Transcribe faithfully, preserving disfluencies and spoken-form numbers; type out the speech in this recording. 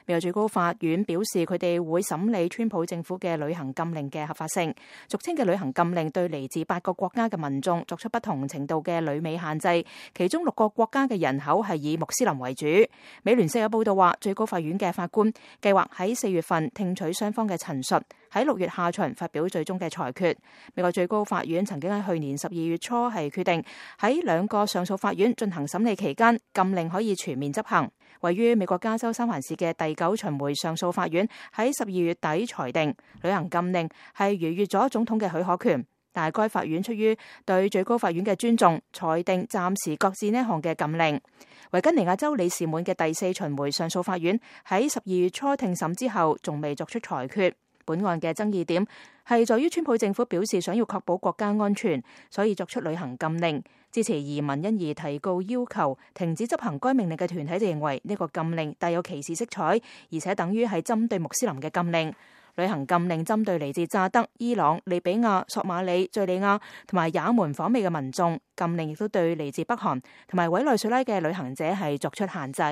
美國最高法院表示，佢哋會審理川普政府嘅旅行禁令嘅合法性。俗稱嘅旅行禁令對嚟自八個國家嘅民眾作出不同程度嘅旅美限制，其中六個國家嘅人口係以穆斯林為主。美聯社有報道話，最高法院嘅法官計劃喺四月份聽取雙方嘅陳述，喺六月下旬發表最終嘅裁決。美國最高法院曾經喺去年十二月初係決定喺兩個上訴法院進行審理期間，禁令可以全面執行。位於美國加州三藩市嘅第九巡迴上訴法院喺十二月底裁定，旅行禁令係逾越咗總統嘅許可權，但係該法院出於對最高法院嘅尊重，裁定暫時擱置呢項嘅禁令。維吉尼亞州里士滿嘅第四巡迴上訴法院喺十二月初聽審之後，仲未作出裁決。本案嘅爭議點係在於川普政府表示想要確保國家安全，所以作出旅行禁令。支持移民因而提告要求停止執行該命令嘅團體就認為呢個禁令帶有歧視色彩，而且等於係針對穆斯林嘅禁令。旅行禁令針對嚟自乍得、伊朗、利比亞、索馬里、敘利亞同埋也門訪美嘅民眾，禁令亦都對嚟自北韓同埋委內瑞拉嘅旅行者係作出限制。